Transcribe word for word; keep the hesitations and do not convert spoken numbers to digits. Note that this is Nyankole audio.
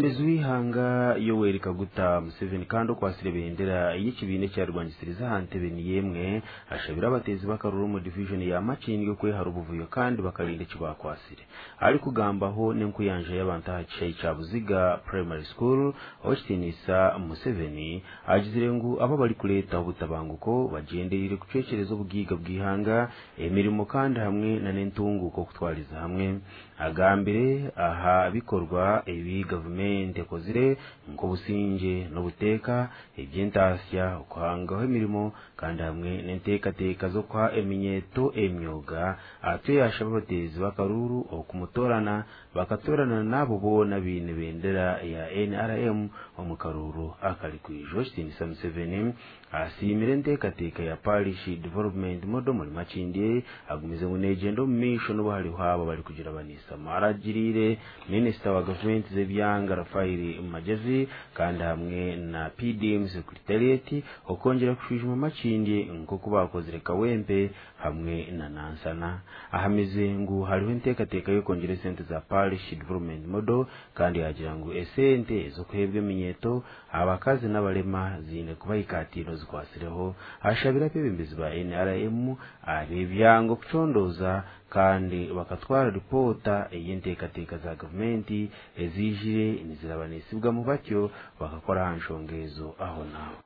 Omwebembezi w'eihanga Yoweri Kaguta Museveni kandi okwasire ebendera y'ekibiina ekyarwangisiriza aha ntebe niyo emwe ashabire abateezi b'akaruru omu divijoni ya Makindye okwehara obuvuyo kandi bakarinda eki bakwasire. Arikugambaho n'enkuyanja y'abantu aha kishaayi kya Buziga Primary School, Owekitiinisa Museveni agizire ngu abo abarikureetaho obutabanguko bagyendereire kucwekyereza obugiiga bw'eihanga, emirimo kandi hamwe n'entunguuka okutwariza hamwe. Agambire aha bikorwa ebi gavumenti ekozire nk'obusingye n'obuteeka, eby'entaasya, okuhangaho emirimo kandi hamwe n'enteekateeka z'okuha eminyeeto emyoga. Atyo yashaba abateezi b'akaruru okumutoorana bakatoorana n'abo boona abaine bendera ya N R M omu karuuru akarikwija. Owekitiinisa Museveni asiimire enteekateeka ya Parish Development Model omuri Makindye, agumize ngu neegyenda omu maisho n'obu hariho abo abarikugira baniisamu. Aragiriire minisita wa gavumenti z'ebyanga Raphael Magyezi kandi hamwe na P D M Secretariat okwongyera kushwijuma Makindye nk'oku bakozire Kawempe hamwe na Nansana. Ahamize ngu hariho enteekateeka y'okwongyera esente za Parish Development Model kandi yagira ngu esente ez'okuheebwa eminyeeto, abakazi n'abarema ziine kuba ikaatiiro zikwasireho. Ashabire abeebembezi ba N R M ab'ebyanga okucondooza kandi bakatwara ripoota ey'enteekateeka za gavumenti eziijire nizirabanisibwamu, batyo bakakora aha nshonga ezo aho naaho.